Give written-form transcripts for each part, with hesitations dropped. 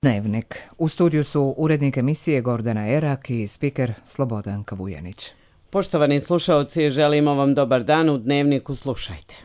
Dnevnik. U studiju su urednik emisije Gordana Erak i spiker Slobodanka Vujanić. Poštovani slušaoci, želimo vam dobar dan. U Dnevniku slušajte.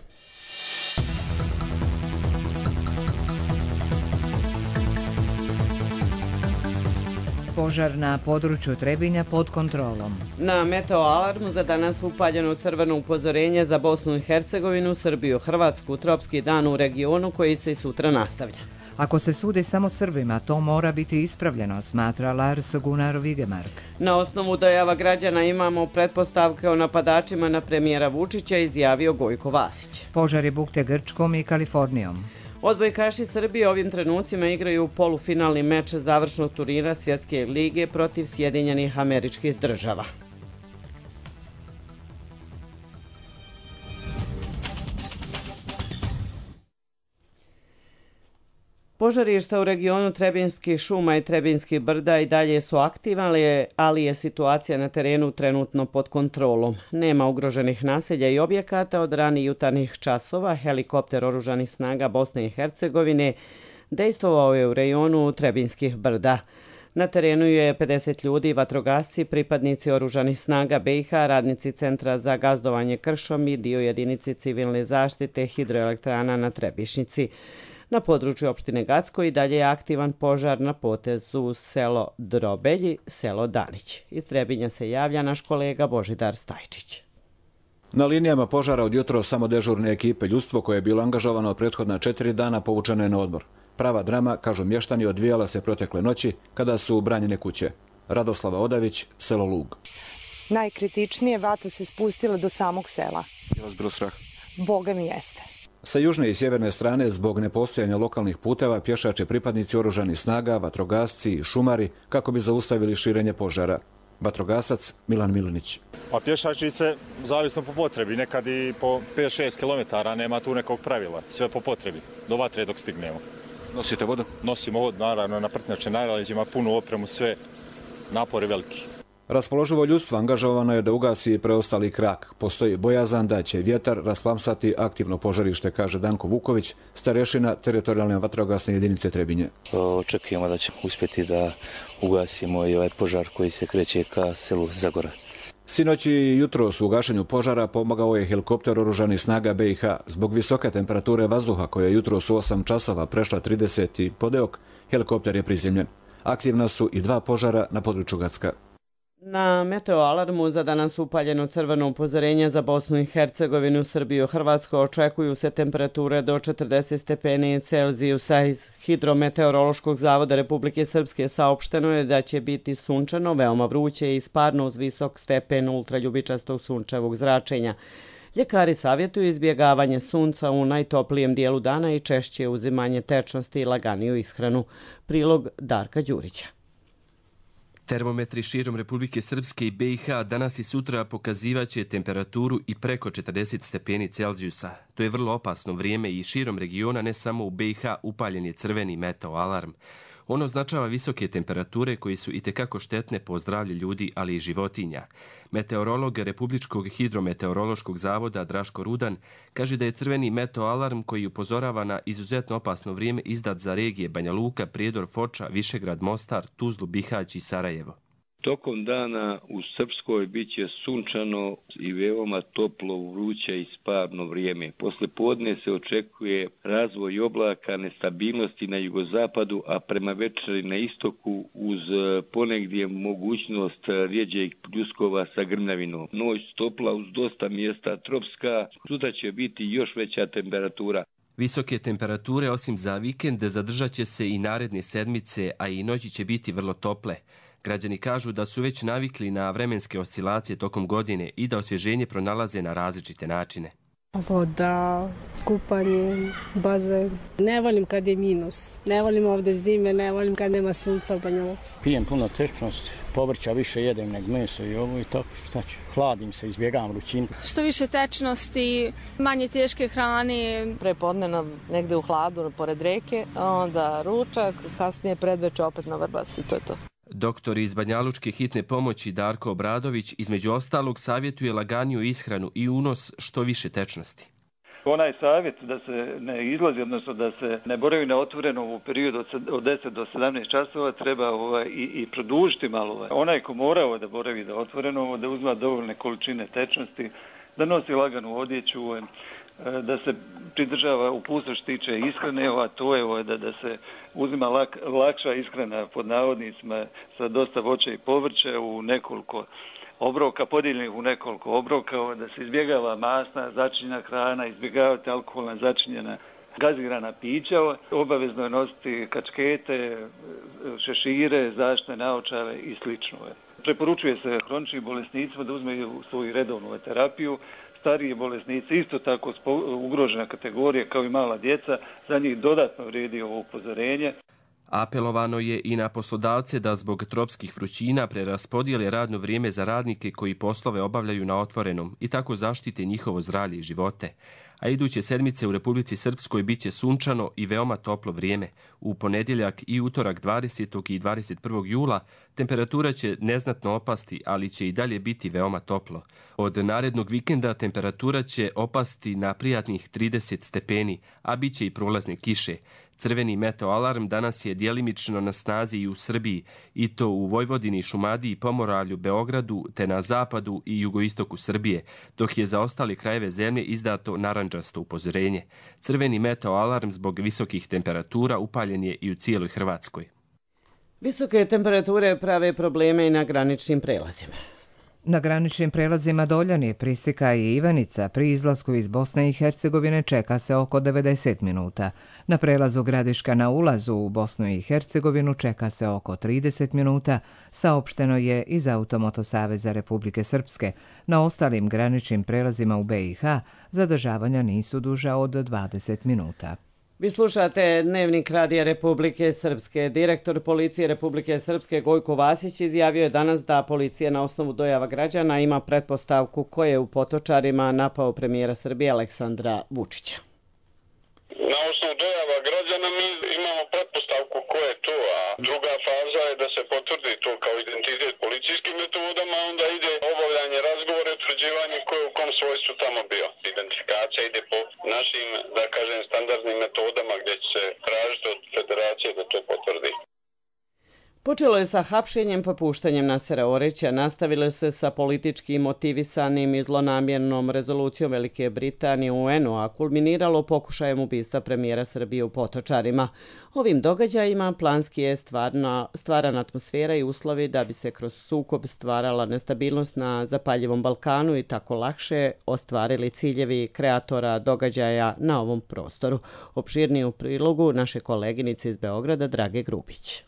Požar na području Trebinja pod kontrolom. Na meteo alarmu za danas upaljeno crveno upozorenje za Bosnu i Hercegovinu, Srbiju, Hrvatsku, tropski dan u regionu koji se i sutra nastavlja. Ako se sudi samo Srbima, to mora biti ispravljeno, smatra Lars Gunnar Vigemark. Na osnovu dojava građana imamo pretpostavke o napadačima na premijera Vučića, izjavio Gojko Vasić. Požar je bukte Grčkom i Kalifornijom. Odbojkaši Srbije ovim trenucima igraju polufinalni meč završnog turnira Svjetske lige protiv Sjedinjenih Američkih Država. Požarišta u regionu Trebinskih šuma i Trebinskih brda i dalje su aktivne, ali je situacija na terenu trenutno pod kontrolom. Nema ugroženih naselja i objekata. Od ranih jutarnjih časova helikopter oružanih snaga Bosne i Hercegovine dejstvovao je u rejonu Trebinskih brda. Na terenu je 50 ljudi, vatrogasci, pripadnici oružanih snaga BiH, radnici Centra za gazdovanje kršom i dio jedinici civilne zaštite hidroelektrana na Trebišnjici. Na području opštine Gacko i dalje je aktivan požar na potezu selo Drobelji, selo Danić. Iz Trebinja se javlja naš kolega Božidar Stajčić. Na linijama požara od jutro samo dežurne ekipe. Ljudstvo koje je bilo angažovano prethodna 4 dana povučeno je na odmor. Prava drama, kažu mještani, odvijala se protekle noći kada su branjene kuće. Radoslava Odavić, selo Lug. Najkritičnije, vatra se spustila do samog sela. Je vas bilo strah? Boga mi jeste. Sa južne i sjeverne strane, zbog nepostojanja lokalnih puteva, pješače pripadnici oružanih snaga, vatrogasci i šumari kako bi zaustavili širenje požara. Vatrogasac Milan Milinić. Pa pješačice zavisno po potrebi, nekad i po 5-6 km, nema tu nekog pravila, sve po potrebi, do vatre dok stignemo. Nosite vodu? Nosimo vodu, naravno, na prtnjače najraleđima, punu opremu, sve, napori veliki. Raspoloživo ljudstvo angažovano je da ugasi preostali krak. Postoji bojazan da će vjetar rasplamsati aktivno požarište, kaže Danko Vuković, starešina teritorijalne vatrogasne jedinice Trebinje. Očekujemo da ćemo uspjeti da ugasimo i ovaj požar koji se kreće ka selu Zagora. Sinoć i jutros u gašenju požara pomogao je helikopter oružanih snaga BiH. Zbog visoke temperature vazduha koja je jutros u 8 časova prešla 30. podeok, helikopter je prizemljen. Aktivna su i 2 požara na području Gacka. Na meteo alarmu za danas upaljeno crveno upozorenje za Bosnu i Hercegovinu, Srbiju, Hrvatsku. Očekuju se temperature do 40 stepeni Celzijusa. Iz Hidrometeorološkog zavoda Republike Srpske saopšteno je da će biti sunčano, veoma vruće i sparno uz visok stepen ultraljubičastog sunčevog zračenja. Ljekari savjetuju izbjegavanje sunca u najtoplijem dijelu dana i češće uzimanje tečnosti i laganiju ishranu. Prilog Darka Đurića. Termometri širom Republike Srpske i BiH danas i sutra pokazivaće temperaturu i preko 40 stepeni Celzijusa. To je vrlo opasno vrijeme i širom regiona, ne samo u BiH, upaljen je crveni meteo alarm. Ono označava visoke temperature koji su itekako štetne po zdravlje ljudi, ali i životinja. Meteorolog Republičkog hidrometeorološkog zavoda Draško Rudan kaže da je crveni meteo alarm koji upozorava na izuzetno opasno vrijeme izdat za regije Banja Luka, Prijedor, Foča, Višegrad, Mostar, Tuzlu, Bihać i Sarajevo. Tokom dana u Srpskoj bit će sunčano i veoma toplo, vruće i sparno vrijeme. Posle podne se očekuje razvoj oblaka, nestabilnosti na jugozapadu, a prema večeri na istoku uz ponegdje mogućnost rjeđeg pljuskova sa grmljavinom. Noć topla uz dosta mjesta tropska, sutra će biti još veća temperatura. Visoke temperature, osim za vikend, zadržat će se i naredne sedmice, a i noći će biti vrlo tople. Građani kažu da su već navikli na vremenske oscilacije tokom godine i da osvježenje pronalaze na različite načine. Voda, kupanje, bazen. Ne volim kad je minus. Ne volim ovdje zime, ne volim kad nema sunca u Banja Luci. Pijem puno tečnosti, povrća više jedem nego meso i ovo i tako, šta ću. Hladim se, izbjegavam vrućinu. Što više tečnosti, manje teške hrane. Prepodne negde u hladu pored reke, onda ručak, kasnije predveče opet na Vrbas i to je to. Doktor iz Banjalučke hitne pomoći Darko Obradović između ostalog savjetuje laganiju ishranu i unos što više tečnosti. Onaj savjet da se ne izlazi, odnosno da se ne boravi na otvorenom u periodu od 10 do 17 časova treba i produžiti malo. Onaj ko morao da boravi da otvoreno, da uzma dovoljne količine tečnosti, da nosi laganu odjeću, da se pridržava uputstva što tiče ishrane, a to je da se uzima lakša ishrana pod navodnicima sa dosta voća i povrća u nekoliko obroka, podijeljenih u nekoliko obroka, da se izbjegava masna, začinjena hrana, izbjegavati alkoholna začinjena gazirana pića, obavezno je nositi kačkete, šešire, zaštitne naočare i slično. Preporučuje se hroničnim bolesnicima da uzmeju svoju redovnu terapiju. Stariji bolesnici, isto tako ugrožena kategorija kao i mala djeca, za njih dodatno vrijedi ovo upozorenje. Apelovano je i na poslodavce da zbog tropskih vrućina preraspodijele radno vrijeme za radnike koji poslove obavljaju na otvorenom i tako zaštite njihovo zdravlje i živote. A iduće sedmice u Republici Srpskoj bit će sunčano i veoma toplo vrijeme. U ponedjeljak i utorak 20. i 21. jula temperatura će neznatno opasti, ali će i dalje biti veoma toplo. Od narednog vikenda temperatura će opasti na prijatnih 30 stepeni, a bit će i prolazne kiše. Crveni meteoalarm danas je djelimično na snazi i u Srbiji, i to u Vojvodini, Šumadiji, Pomoravlju, Beogradu, te na zapadu i jugoistoku Srbije, dok je za ostale krajeve zemlje izdato narandžasto upozorenje. Crveni meteoalarm zbog visokih temperatura upaljen je i u cijeloj Hrvatskoj. Visoke temperature prave probleme i na graničnim prelazima. Na graničnim prelazima Doljani, Prisika i Ivanica pri izlasku iz Bosne i Hercegovine čeka se oko 90 minuta. Na prelazu Gradiška na ulazu u Bosnu i Hercegovinu čeka se oko 30 minuta, saopšteno je iz Automoto Saveza Republike Srpske. Na ostalim graničnim prelazima u BiH zadržavanja nisu duža od 20 minuta. Vi slušate Dnevnik Radija Republike Srpske. Direktor Policije Republike Srpske Gojko Vasić izjavio je danas da policija na osnovu dojava građana ima pretpostavku ko je u Potočarima napao premijera Srbije Aleksandra Vučića. Na osnovu dojava građana mi imamo pretpostavku ko je to, a druga faza je da se potvrdi to kao identitet policijskim metodama, onda ide obavljanje razgovora i utvrđivanje ko je u kom svojstvu tamo bio. Identifikacija ide po našim, da kažem, standardnim metodama gdje će se tražiti od federacije da to potvrdi. Počelo je sa hapšenjem pa puštanjem Nasera Orića, nastavile se sa politički motivisanim i zlonamjernom rezolucijom Velike Britanije u UN-u, a kulminiralo pokušajem ubistva premijera Srbije u Potočarima. Ovim događajima planski je stvarana atmosfera i uslovi da bi se kroz sukob stvarala nestabilnost na zapaljivom Balkanu i tako lakše ostvarili ciljevi kreatora događaja na ovom prostoru. Opširnije u prilogu naše koleginice iz Beograda Drage Grubić.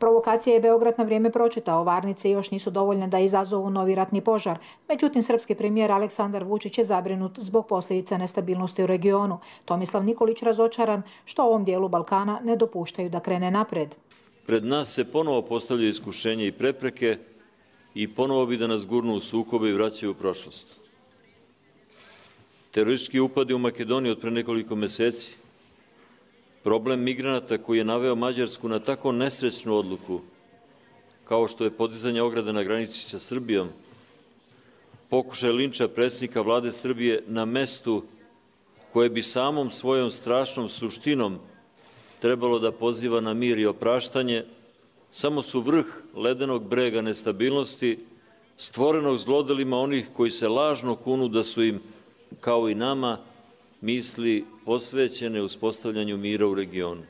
Provokacije je Beograd na vrijeme pročitao, varnice još nisu dovoljne da izazovu novi ratni požar. Međutim, srpski premijer Aleksandar Vučić je zabrinut zbog posljedica nestabilnosti u regionu. Tomislav Nikolić razočaran što ovom dijelu Balkana ne dopuštaju da krene napred. Pred nas se ponovo postavljaju iskušenje i prepreke i ponovo bi da nas gurnu u sukobe i vraćaju u prošlost. Teroristički upadi u Makedoniji od pre nekoliko meseci, problem migranata koji je naveo Mađarsku na tako nesrećnu odluku, kao što je podizanje ograde na granici sa Srbijom, pokušaj linča predsjednika vlade Srbije na mestu koje bi samom svojom strašnom suštinom trebalo da poziva na mir i opraštanje, samo su vrh ledenog brega nestabilnosti, stvorenog zlodelima onih koji se lažno kunu da su im, kao i nama, misli posvećene uspostavljanju mira u regionu.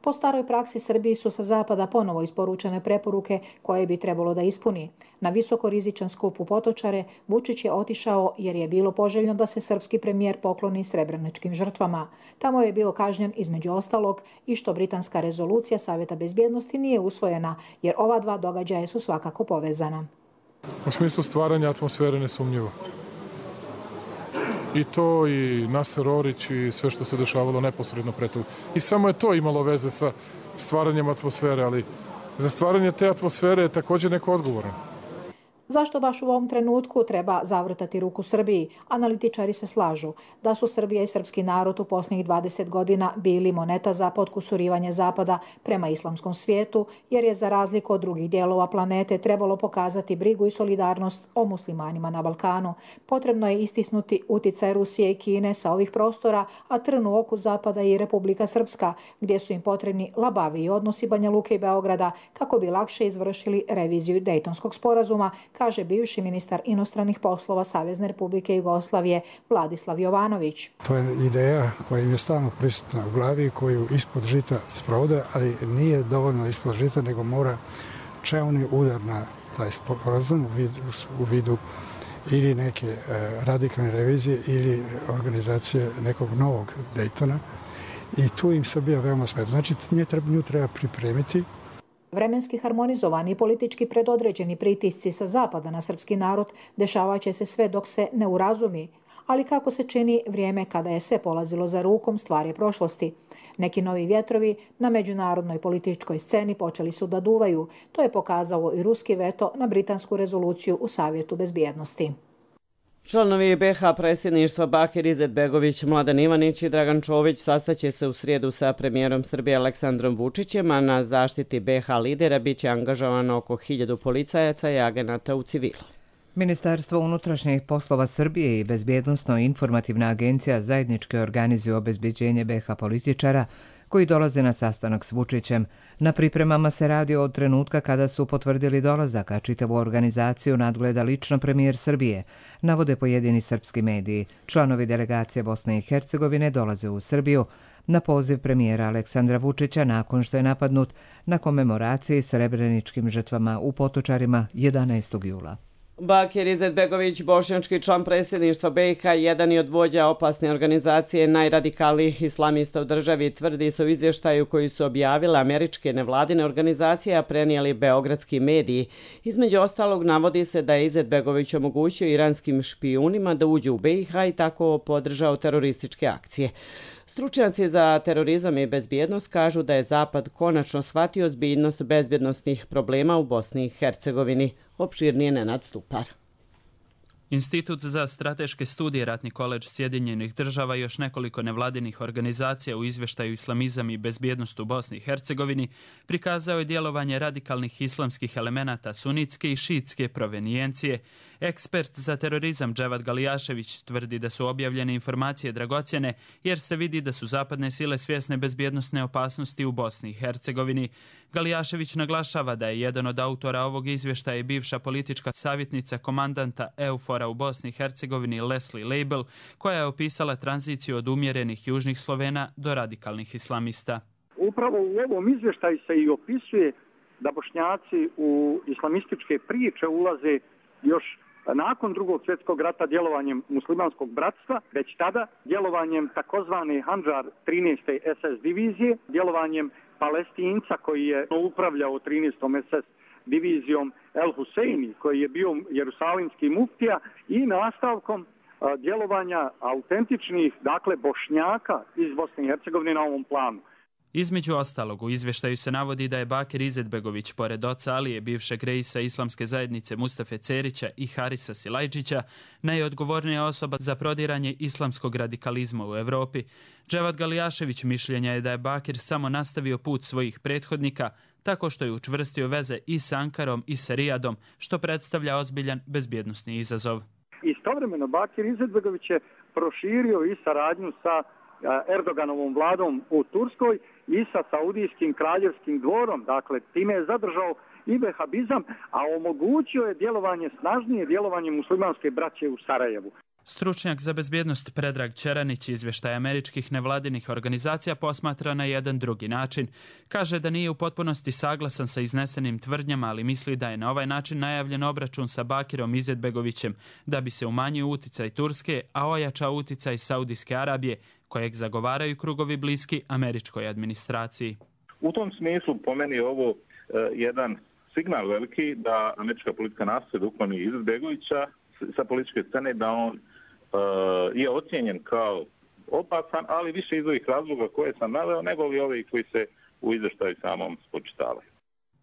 Po staroj praksi Srbiji su sa zapada ponovo isporučene preporuke koje bi trebalo da ispuni. Na visoko rizičan skup u Potočare Vučić je otišao jer je bilo poželjno da se srpski premijer pokloni srebreničkim žrtvama. Tamo je bio kažnjen između ostalog i što britanska rezolucija Savjeta bezbjednosti nije usvojena, jer ova dva događaja su svakako povezana. U smislu stvaranja atmosfere nesumnjivo. I to, i Naser Orić, i sve što se dešavalo neposredno pre toga. I samo je to imalo veze sa stvaranjem atmosfere, ali za stvaranje te atmosfere je također neko odgovoran. Zašto baš u ovom trenutku treba zavrtati ruku Srbiji? Analitičari se slažu da su Srbija i srpski narod u posljednjih 20 godina bili moneta za potkusurivanje Zapada prema islamskom svijetu, jer je za razliku od drugih dijelova planete trebalo pokazati brigu i solidarnost o muslimanima na Balkanu. Potrebno je istisnuti uticaj Rusije i Kine sa ovih prostora, a trn u oku Zapada i Republika Srpska, gdje su im potrebni labaviji odnosi Banja Luke i Beograda kako bi lakše izvršili reviziju Dejtonskog sporazuma, kaže bivši ministar inostranih poslova Savezne Republike Jugoslavije Vladislav Jovanović. To je ideja koja im je stalno prisutna u glavi, koju ispod žita sprovode, ali nije dovoljno ispod žita, nego mora čelni udar na taj sporazum u vidu ili neke radikalne revizije ili organizacije nekog novog Dejtona. I tu im Srbija veoma smeta. Znači, nju treba pripremiti. Vremenski harmonizovani i politički predodređeni pritisci sa zapada na srpski narod dešavat će se sve dok se ne urazumi. Ali kako se čini, vrijeme kada je sve polazilo za rukom stvar je prošlosti. Neki novi vjetrovi na međunarodnoj političkoj sceni počeli su da duvaju. To je pokazao i ruski veto na britansku rezoluciju u Savjetu bezbjednosti. Članovi BiH predsjedništva Bakir Izetbegović, Mladen Ivanić i Dragan Čović sastaće se u srijedu sa premijerom Srbije Aleksandrom Vučićem, a na zaštiti BiH lidera biće angažovano oko 1000 policajaca i agenata u civilu. Ministarstvo unutrašnjih poslova Srbije i Bezbjednosno-informativna agencija zajednički organizuju obezbeđenje BiH političara koji dolaze na sastanak s Vučićem. Na pripremama se radi od trenutka kada su potvrdili dolazak, a čitavu organizaciju nadgleda lično premijer Srbije, navode pojedini srpski mediji. Članovi delegacije Bosne i Hercegovine dolaze u Srbiju na poziv premijera Aleksandra Vučića nakon što je napadnut na komemoraciji srebreničkim žrtvama u Potočarima 11. jula. Bakir Izetbegović, bošnjački član predsjedništva BiH, jedan je od vođa opasne organizacije najradikalnijih islamista u državi, tvrdi se u izvještaju koji su objavile američke nevladine organizacije, a prenijeli beogradski mediji. Između ostalog navodi se da je Izetbegović omogućio iranskim špijunima da uđu u BiH i tako podržao terorističke akcije. Stručnjaci za terorizam i bezbjednost kažu da je Zapad konačno shvatio ozbiljnost bezbjednosnih problema u Bosni i Hercegovini. Opširnije Nenad Stupar. Institut za strateške studije Ratni koledž Sjedinjenih država i još nekoliko nevladinih organizacija u izvještaju Islamizam i bezbjednost u Bosni i Hercegovini prikazao je djelovanje radikalnih islamskih elemenata sunitske i šiitske provenijencije. Ekspert za terorizam Dževad Galijašević tvrdi da su objavljene informacije dragocjene jer se vidi da su zapadne sile svjesne bezbjednosne opasnosti u Bosni i Hercegovini. Galijašević naglašava da je jedan od autora ovog izvještaja bivša politička savjetnica komandanta EUFOR-a u Bosni i Hercegovini Leslie Label, koja je opisala tranziciju od umjerenih južnih Slovena do radikalnih islamista. Upravo u ovom izvještaju se i opisuje da Bošnjaci u islamističke priče ulaze još nakon Drugog svjetskog rata djelovanjem muslimanskog bratstva, već tada djelovanjem takozvane Handžar 13. SS divizije, djelovanjem Palestinca koji je upravljao 13. SS divizijom El Huseini, koji je bio jerusalimski muftija, i nastavkom djelovanja autentičnih, dakle, Bošnjaka iz Bosne i Hercegovine na ovom planu. Između ostalog, u izvještaju se navodi da je Bakir Izetbegović, pored oca Alije, bivšeg reisa islamske zajednice Mustafe Cerića i Harisa Silajđića, najodgovornija osoba za prodiranje islamskog radikalizma u Europi. Dževad Galijašević mišljenja je da je Bakir samo nastavio put svojih prethodnika tako što je učvrstio veze i s Ankarom i sa Rijadom, što predstavlja ozbiljan bezbjednosni izazov. Istovremeno Bakir Izetbegović je proširio i saradnju sa Erdoganovom vladom u Turskoj i sa Saudijskim kraljevskim dvorom. Dakle, time je zadržao i vehabizam, a omogućio je djelovanje, snažnije djelovanje muslimanske braće u Sarajevu. Stručnjak za bezbjednost Predrag Čeranić izvještaj američkih nevladinih organizacija posmatra na jedan drugi način. Kaže da nije u potpunosti saglasan sa iznesenim tvrdnjama, ali misli da je na ovaj način najavljen obračun sa Bakirom Izetbegovićem da bi se umanjio uticaj Turske, a ojačao uticaj Saudijske Arabije, kojeg zagovaraju krugovi bliski američkoj administraciji. U tom smislu po meni je ovo jedan signal veliki da američka politika nastoji da ukloni Izetbegovića sa političke scene, da on je ocijenjen kao opasan, ali više iz ovih razloga koje sam naveo, nego li ovi koji se u izvještaju samom spočitavaju.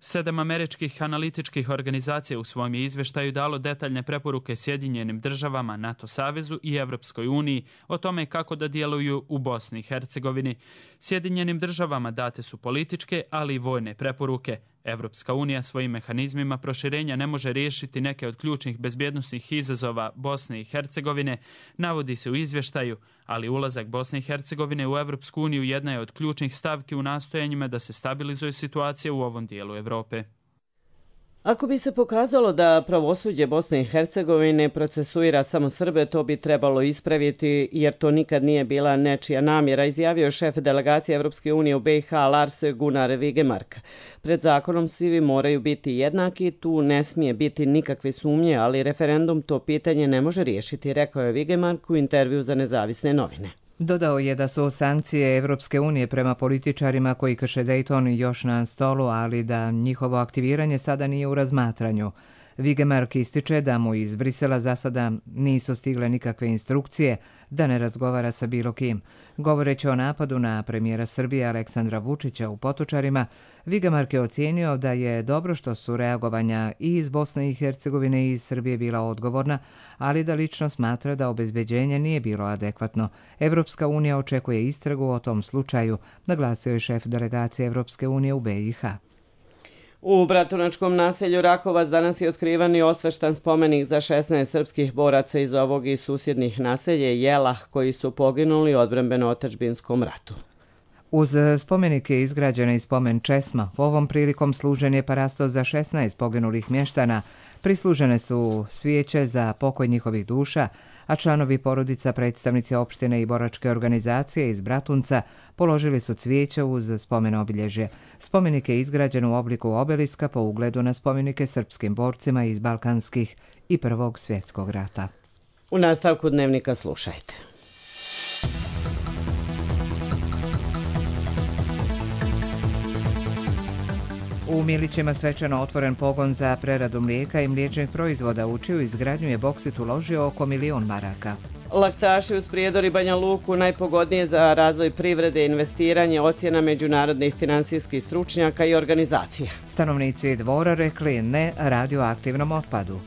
7 američkih analitičkih organizacija u svom je izveštaju dalo detaljne preporuke Sjedinjenim državama, NATO savezu i Evropskoj uniji o tome kako da djeluju u Bosni i Hercegovini. Sjedinjenim državama date su političke, ali i vojne preporuke. Evropska unija svojim mehanizmima proširenja ne može riješiti neke od ključnih bezbjednosnih izazova Bosne i Hercegovine, navodi se u izvještaju, ali ulazak Bosne i Hercegovine u Evropsku uniju jedna je od ključnih stavki u nastojanjima da se stabilizuje situacija u ovom dijelu Evrope. Ako bi se pokazalo da pravosuđe Bosne i Hercegovine procesuira samo Srbe, to bi trebalo ispraviti jer to nikad nije bila nečija namjera, izjavio šef delegacije Evropske unije u BiH Lars Gunnar Vigemark. Pred zakonom svi moraju biti jednaki, tu ne smije biti nikakve sumnje, ali referendum to pitanje ne može riješiti, rekao je Vigemark u intervju za Nezavisne novine. Dodao je da su sankcije Evropske unije prema političarima koji krše Dayton još na stolu, ali da njihovo aktiviranje sada nije u razmatranju. Vigemark ističe da mu iz Brisela za sada nisu stigle nikakve instrukcije da ne razgovara sa bilo kim. Govoreći o napadu na premijera Srbije Aleksandra Vučića u Potočarima, Vigemark je ocijenio da je dobro što su reagovanja i iz Bosne i Hercegovine i iz Srbije bila odgovorna, ali da lično smatra da obezbeđenje nije bilo adekvatno. Evropska unija očekuje istragu o tom slučaju, naglasio je šef delegacije Evropske unije u BiH. U Bratunačkom naselju Rakovac danas je otkrivan i osveštan spomenik za 16 srpskih boraca iz ovog i susjednih naselje Jelah koji su poginuli u odbrambeno-otadžbinskom ratu. Uz spomenik je izgrađena i spomen česma. Ovom prilikom služen je parasto za 16 poginulih mještana. Prislužene su svijeće za pokoj njihovih duša, a članovi porodica, predstavnici opštine i boračke organizacije iz Bratunca položili su cvijeće uz spomen obilježje. Spomenik je izgrađen u obliku obeliska po ugledu na spomenike srpskim borcima iz Balkanskih i Prvog svjetskog rata. U nastavku dnevnika slušajte. U Milićima svečano otvoren pogon za preradu mlijeka i mliječnih proizvoda, u čiju izgradnju je Boksit uložio oko 1 milion maraka. Laktaši uz Prijedor i Banja Luku najpogodnije za razvoj privrede i investiranje, ocjena međunarodnih finansijskih stručnjaka i organizacija. Stanovnici Dvora rekli ne radioaktivnom otpadu.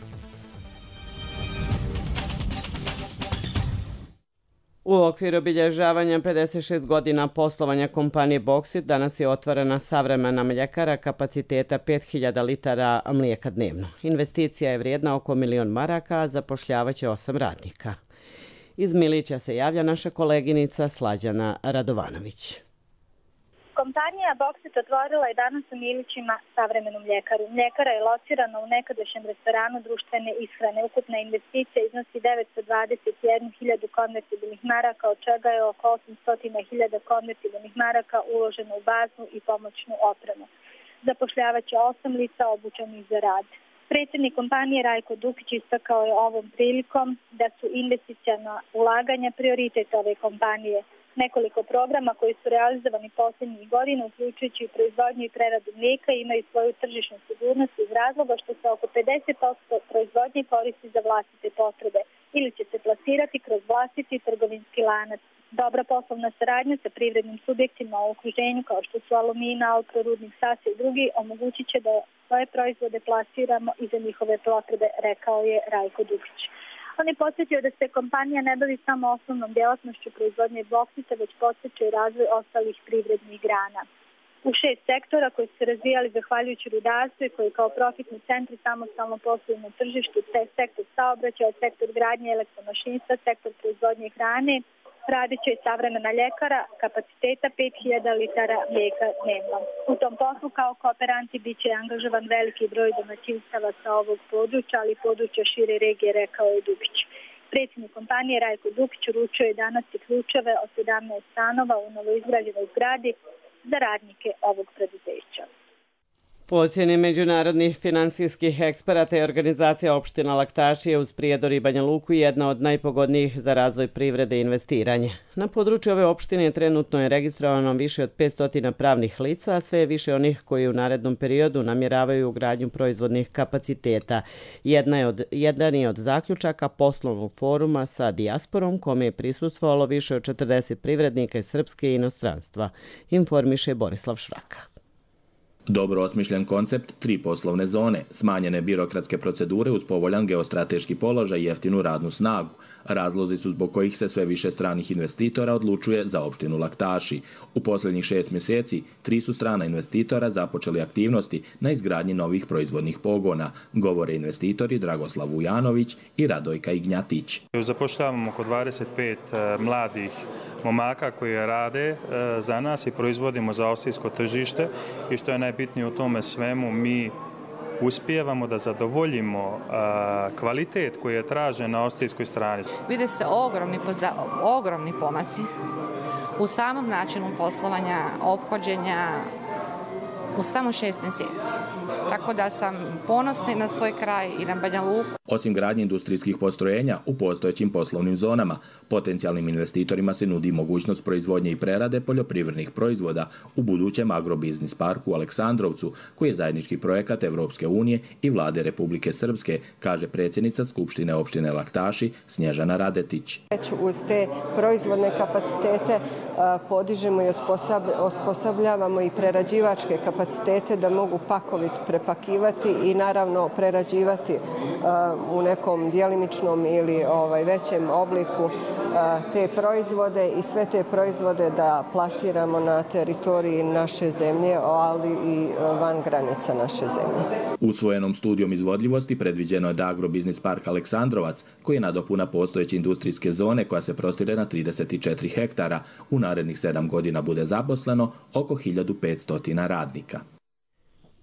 U okviru obilježavanja 56 godina poslovanja kompanije Boksit danas je otvorena savremena mljekara kapaciteta 5000 litara mlijeka dnevno. Investicija je vrijedna oko 1 milion maraka, a zapošljavaće 8 radnika. Iz Milića se javlja naša koleginica Slađana Radovanović. Kompanija Boksit otvorila je danas u Milićima savremenu mljekaru. Mljekara je locirana u nekadašnjem restoranu društvene ishrane. Ukupna investicija iznosi 921.000 konvertibilnih maraka, od čega je oko 800.000 konvertibilnih maraka uloženo u baznu i pomoćnu opremu. Zapošljavaće 8 lica obučenih za rad. Predsjednik kompanije Rajko Dukić istakao je ovom prilikom da su investiciona ulaganja prioritet ove kompanije. Nekoliko programa koji su realizovani posljednjih godina, uključujući i proizvodnju i preradu mlijeka, imaju svoju tržišnu sigurnost iz razloga što se oko 50% proizvodnje koristi za vlastite potrebe ili će se plasirati kroz vlastiti trgovinski lanac. Dobra poslovna saradnja sa privrednim subjektima u okruženju kao što su Alumina, Alpro, Rudnik, Sasa i drugi omogućit će da svoje proizvode plasiramo i za njihove potrebe, rekao je Rajko Dukić. On je podsjetio da se kompanija ne bavi samo osnovnom djelatnošću proizvodnje boksita, već podsjeća i razvoj ostalih privrednih grana. U 6 sektora koji su se razvijali zahvaljujući rudarstvu i koji kao profitni centri samostalno posluju na tržištu, te sektor saobraćaja, sektor gradnje elektromašinstva, sektor proizvodnje hrane, radit će i savremena ljekara kapaciteta 5000 litara mlijeka dnevno. U tom poslu kao kooperanti bit će angažovan veliki broj domaćinstava sa ovog područja, ali i područja šire regije, rekao je Dukić. Predsjednik kompanije Rajko Dukić uručio je danas i ključeve od 17 stanova u novoizgrađenoj zgradi za radnike ovog preduzeća. Po ocjeni međunarodnih finansijskih eksperata i organizacija opština Laktaši je uz Prijedor i Banja Luku jedna od najpogodnijih za razvoj privrede i investiranje. Na području ove opštine trenutno je registrovano više od 500 pravnih lica, a sve je više onih koji u narednom periodu namjeravaju ugradnju proizvodnih kapaciteta. Jedan je od zaključaka poslovnog foruma sa dijasporom, kome je prisustvovalo više od 40 privrednika iz Srpske i inostranstva, informiše Borislav Šraka. Dobro osmišljen koncept, 3 poslovne zone, smanjene birokratske procedure uz povoljan geostrateški položaj i jeftinu radnu snagu. Razlozi su zbog kojih se sve više stranih investitora odlučuje za opštinu Laktaši. U posljednjih 6 mjeseci 3 su strana investitora započeli aktivnosti na izgradnji novih proizvodnih pogona, govore investitori Dragoslav Vujanović i Radojka Ignjatić. Zapošljavamo oko 25 mladih momaka koji rade za nas i proizvodimo za austrijsko tržište i što je najbitnije u tome svemu, mi uspijevamo da zadovoljimo kvalitet koji je tražen na austrijskoj strani. Vide se ogromni pomaci u samom načinu poslovanja, ophođenja u samo 6 mjeseci. Tako da sam ponosna na svoj kraj i na Banja Luku. Osim gradnje industrijskih postrojenja u postojećim poslovnim zonama, potencijalnim investitorima se nudi mogućnost proizvodnje i prerade poljoprivrednih proizvoda u budućem agrobiznis parku u Aleksandrovcu, koji je zajednički projekat Evropske unije i vlade Republike Srpske, kaže predsjednica Skupštine opštine Laktaši Snježana Radetić. Već uz te proizvodne kapacitete podižemo i osposobljavamo i prerađivačke kapacitete da mogu pakoviti, prepakivati i naravno prerađivati u nekom djelimičnom ili većem obliku te proizvode i sve te proizvode da plasiramo na teritoriji naše zemlje, ali i van granica naše zemlje. Usvojenom studijom izvodljivosti predviđeno je da agrobiznis park Aleksandrovac, koji je nadopuna postojeće industrijske zone koja se prostire na 34 hektara, u narednih 7 godina bude zaposleno oko 1500 radnika.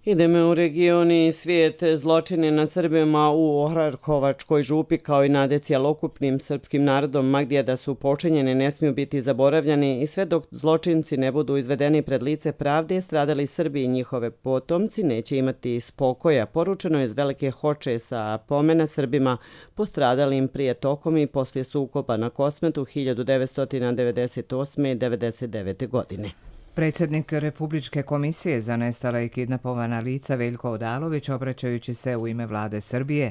Idemo u regioni i svijet. Zločine nad Srbima u Ohrarkovačkoj župi kao i nad cjelokupnim srpskim narodom ma gdje da su počinjeni ne smiju biti zaboravljani i sve dok zločinci ne budu izvedeni pred lice pravde, stradali Srbi i njihove potomci neće imati spokoja. Poručeno je iz Velike Hoče sa pomena Srbima postradalim prije tokom i poslije sukoba na Kosmetu 1998. i 1999. godine. Predsjednik Republičke komisije za nestala i kidnapovana lica Veljko Odalović, obraćajući se u ime vlade Srbije,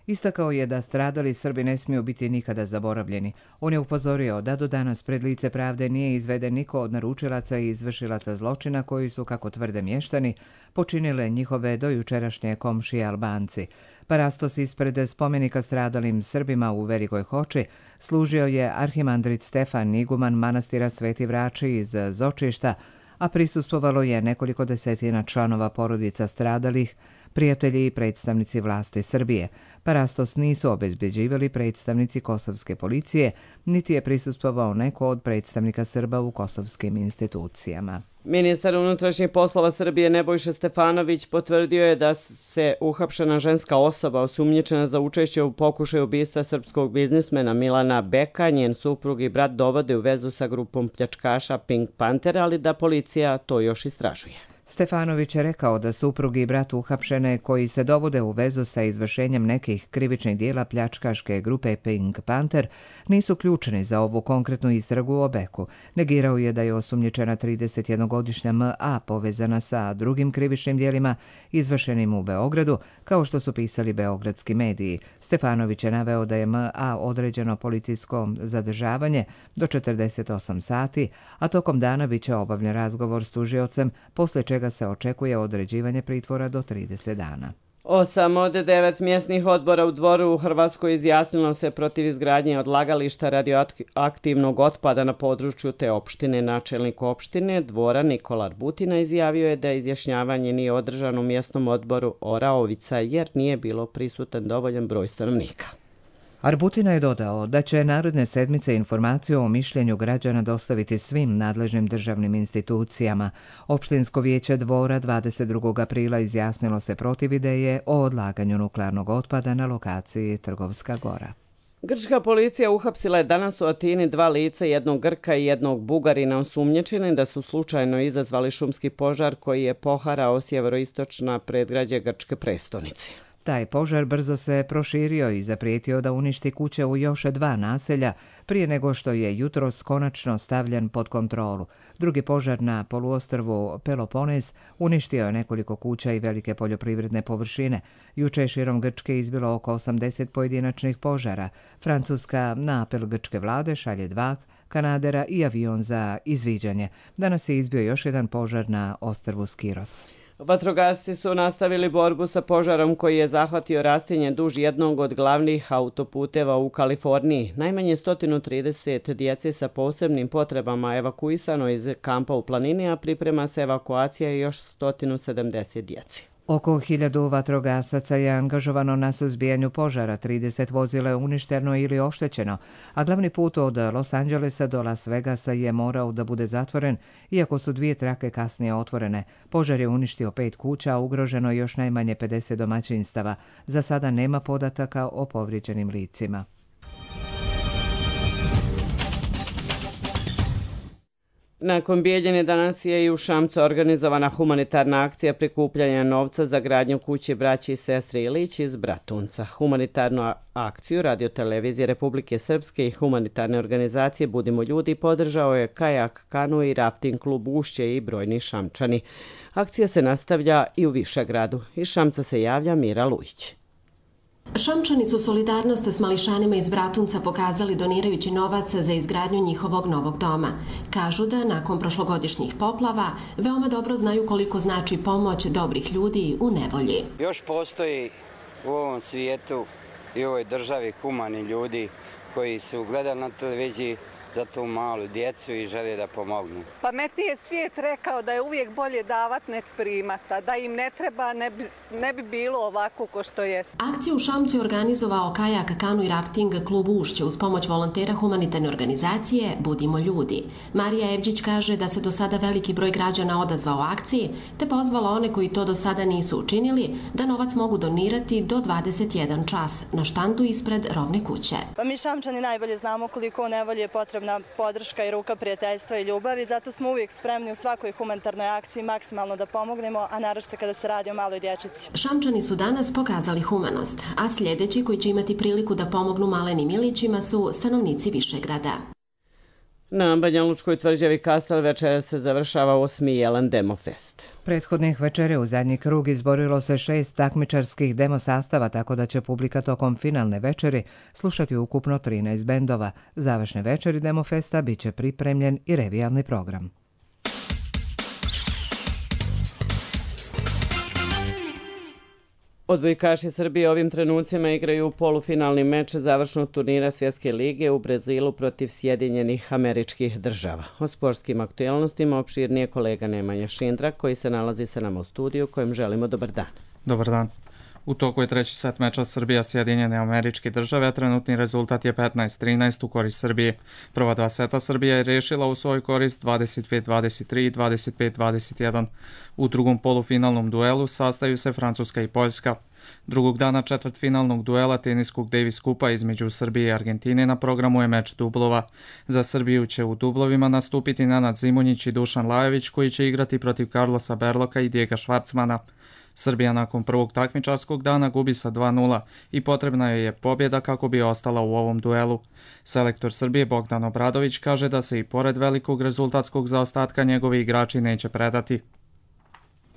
istakao je da stradali Srbi ne smiju biti nikada zaboravljeni. On je upozorio da do danas pred lice pravde nije izveden niko od naručilaca i izvršilaca zločina koji su, kako tvrde mještani, počinile njihove dojučerašnje komšije Albanci. Parastos ispred spomenika stradalim Srbima u Velikoj Hoči služio je arhimandrit Stefan, iguman manastira Sveti Vrači iz Zočišta, a prisustvovalo je nekoliko desetina članova porodica stradalih, prijatelji i predstavnici vlasti Srbije. Parastos nisu obezbeđivali predstavnici kosovske policije, niti je prisustvovao neko od predstavnika Srba u kosovskim institucijama. Ministar unutrašnjih poslova Srbije Nebojša Stefanović potvrdio je da se uhapšena ženska osoba osumnjičena za učešće u pokušaju ubistva srpskog biznismena Milana Beka, njen suprug i brat dovode u vezu sa grupom pljačkaša Pink Panther, ali da policija to još istražuje. Stefanović je rekao da suprug i brat uhapšene koji se dovode u vezu sa izvršenjem nekih krivičnih dijela pljačkaške grupe Pink Panther nisu ključni za ovu konkretnu istragu o Beku. Negirao je da je osumnjičena 31-godišnja M.A. povezana sa drugim krivičnim dijelima izvršenim u Beogradu, kao što su pisali beogradski mediji. Stefanović je naveo da je M.A. određeno policijsko zadržavanje do 48 sati, a tokom dana bit će obavljen razgovor s tužiocem, posle čega se očekuje određivanje pritvora do 30 dana. 8 od 9 mjesnih odbora u Dvoru u Hrvatskoj izjasnilo se protiv izgradnje odlagališta radioaktivnog otpada na području te opštine. Načelnik opštine Dvora Nikola Arbutina izjavio je da izjašnjavanje nije održano u mjesnom odboru Oraovica jer nije bilo prisutan dovoljan broj stanovnika. Arbutina je dodao da će naredne sedmice informaciju o mišljenju građana dostaviti svim nadležnim državnim institucijama. Opštinsko vijeće Dvora 22. aprila izjasnilo se protiv ideje o odlaganju nuklearnog otpada na lokaciji Trgovska Gora. Grčka policija uhapsila je danas u Atini 2 lica, jednog Grka i jednog Bugarina, osumnjičeni da su slučajno izazvali šumski požar koji je poharao sjeveroistočna predgrađe grčke prestonice. Taj požar brzo se proširio i zaprijetio da uništi kuće u još 2 naselja prije nego što je jutros konačno stavljen pod kontrolu. Drugi požar na poluostrvu Peloponez uništio je nekoliko kuća i velike poljoprivredne površine. Juče je širom Grčke izbilo oko 80 pojedinačnih požara. Francuska na apel grčke vlade šalje 2 kanadera i avion za izviđanje. Danas je izbio još jedan požar na ostrvu Skiros. Vatrogasci su nastavili borbu sa požarom koji je zahvatio rastinje duž jednog od glavnih autoputeva u Kaliforniji. Najmanje 130 djece sa posebnim potrebama evakuisano iz kampa u planini, a priprema se evakuacija još 170 djeci. Oko 1000 vatrogasaca je angažovano na suzbijanju požara, 30 vozila je uništeno ili oštećeno, a glavni put od Los Angelesa do Las Vegasa je morao da bude zatvoren, iako su 2 trake kasnije otvorene. Požar je uništio 5 kuća, a ugroženo još najmanje 50 domaćinstava. Za sada nema podataka o povrijeđenim licima. Nakon Bijeljine danas je i u Šamcu organizovana humanitarna akcija prikupljanja novca za gradnju kuće braći i sestri Ilić iz Bratunca. Humanitarnu akciju Radio-televizije Republike Srpske i humanitarne organizacije Budimo ljudi podržao je Kajak, Kanu i Rafting klub Ušće i brojni Šamčani. Akcija se nastavlja i u Višegradu. Iz Šamca se javlja Mira Lujić. Šamčani su solidarnost s mališanima iz Bratunca pokazali donirajući novac za izgradnju njihovog novog doma. Kažu da nakon prošlogodišnjih poplava veoma dobro znaju koliko znači pomoć dobrih ljudi u nevolji. Još postoji u ovom svijetu i u ovoj državi humani ljudi koji su gledali na televiziji za tu malu djecu i žele da pomognu. Pametniji je svijet rekao da je uvijek bolje davat nek primata, da im ne treba, ne bi bilo ovako ko što je. Akciju u Šamcu je organizovao Kajak, Kanu i Rafting klub Ušće uz pomoć volontera humanitarne organizacije Budimo ljudi. Marija Evđić kaže da se do sada veliki broj građana odazvao akciji, te pozvala one koji to do sada nisu učinili da novac mogu donirati do 21 čas na štandu ispred Rovne kuće. Pa mi Šamčani najbolje znamo koliko u nevolji je potrebna podrška i ruka prijateljstva i ljubavi, zato smo uvijek spremni u svakoj humanitarnoj akciji maksimalno da pomognemo, a naročito kada se radi o maloj dječici. Šamčani su danas pokazali humanost, a sljedeći koji će imati priliku da pomognu malenim Ilićima su stanovnici Višegrada. Na Banjalučkoj tvrđavi Kastrel večera se završava 8. Jelen Demofest. Prethodnih večere u zadnji krug izborilo se 6 takmičarskih demo sastava, tako da će publika tokom finalne večeri slušati ukupno 13 bendova. Završne večeri Demofesta bit će pripremljen i revijalni program. Odbojkaši Srbije ovim trenucima igraju polufinalni meč završnog turnira Svjetske lige u Brazilu protiv Sjedinjenih Američkih Država. O sportskim aktualnostima opširnije kolega Nemanja Šindrak koji se nalazi sa nama u studiju kojem želimo dobar dan. Dobar dan. U toku je treći set meča Srbija-Sjedinjene Američke Države, a trenutni rezultat je 15-13 u korist Srbije. Prva 2 seta Srbija je rešila u svoj korist 25-23 i 25-21. U drugom polufinalnom duelu sastaju se Francuska i Poljska. Drugog dana četvrtfinalnog duela teniskog Davis Kupa između Srbije i Argentine na programu je meč dublova. Za Srbiju će u dublovima nastupiti Nenad Zimonjić i Dušan Lajović koji će igrati protiv Carlosa Berloka i Dijega Švarcmana. Srbija nakon prvog takmičarskog dana gubi sa 2:0 i potrebna joj je pobjeda kako bi ostala u ovom duelu. Selektor Srbije Bogdan Obradović kaže da se i pored velikog rezultatskog zaostatka njegovi igrači neće predati.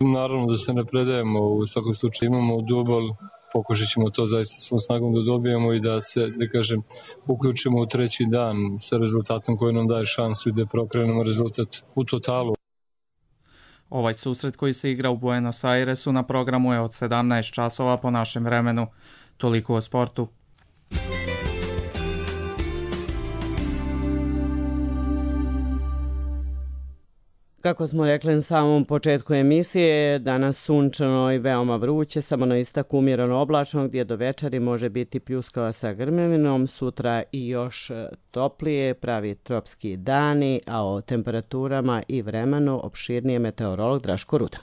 Naravno da se ne predajemo, u svakom slučaju imamo dubol, pokušat ćemo to zaista svom snagom da dobijemo i da se, da kažem, uključimo u treći dan sa rezultatom koji nam daje šansu i da preokrenemo rezultat u totalu. Ovaj susret koji se igra u Buenos Airesu na programu je od 17 časova po našem vremenu. Toliko o sportu. Kako smo rekli na samom početku emisije, danas sunčano i veoma vruće, samo na istaku umjereno oblačno gdje do večeri može biti pljuskava sa grmevinom, sutra i još toplije, pravi tropski dani, a o temperaturama i vremenu opširnije meteorolog Draško Rudan.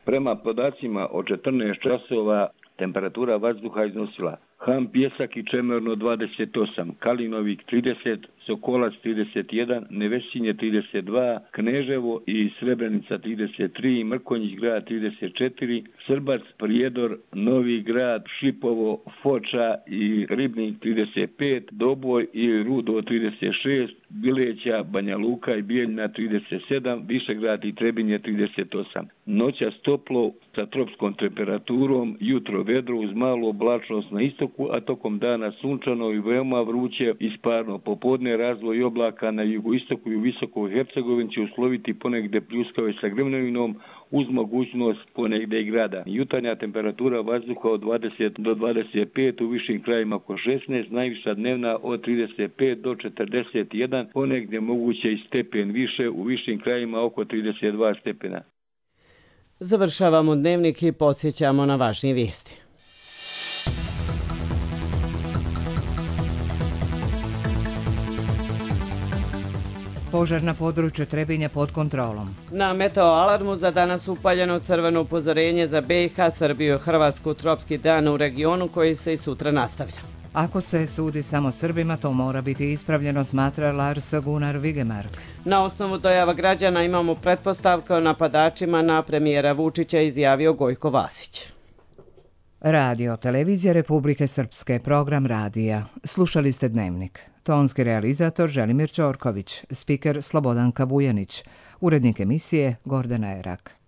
Prema podacima od 14 časova temperatura vazduha iznosila Ham, Pjesak i Čemerno 28, Kalinovik 30, Sokolac 31, Nevesinje 32, Kneževo i Srebrenica 33, Mrkonjić grad 34, Srbac, Prijedor, Novi grad, Šipovo, Foča i Ribnik 35, Doboj i Rudo 36, Bileća, Banja Luka i Bijeljina 37, Višegrad i Trebinje 38. Noćas toplo sa tropskom temperaturom, jutro vedro uz malu oblačnost na istoku istoku, a tokom dana sunčano i veoma vruće i sparno. Popodne razvoj oblaka na jugoistoku i u Visokoj Hercegovini će usloviti ponegde pljuskave sa grmljavinom uz mogućnost ponegde i grada. Jutarnja temperatura vazduha od 20 do 25, u višim krajima oko 16, najviša dnevna od 35 do 41, ponegde moguće i stepen više, u višim krajima oko 32 stepena. Završavamo dnevnik i podsjećamo na važnije vijesti. Požar na području Trebinja pod kontrolom. Na meteo alarmu za danas upaljeno crveno upozorenje za BiH, Srbiju i Hrvatsku, tropski dan u regionu koji se i sutra nastavlja. Ako se sudi samo Srbima, to mora biti ispravljeno, smatra Lars Gunnar Vigemark. Na osnovu dojava građana imamo pretpostavke o napadačima na premijera Vučića, izjavio Gojko Vasić. Radio Televizija Republike Srpske, program radija. Slušali ste Dnevnik. Tonski realizator Želimir Ćorković, spiker Slobodanka Vujanić, urednik emisije Gordana Erak.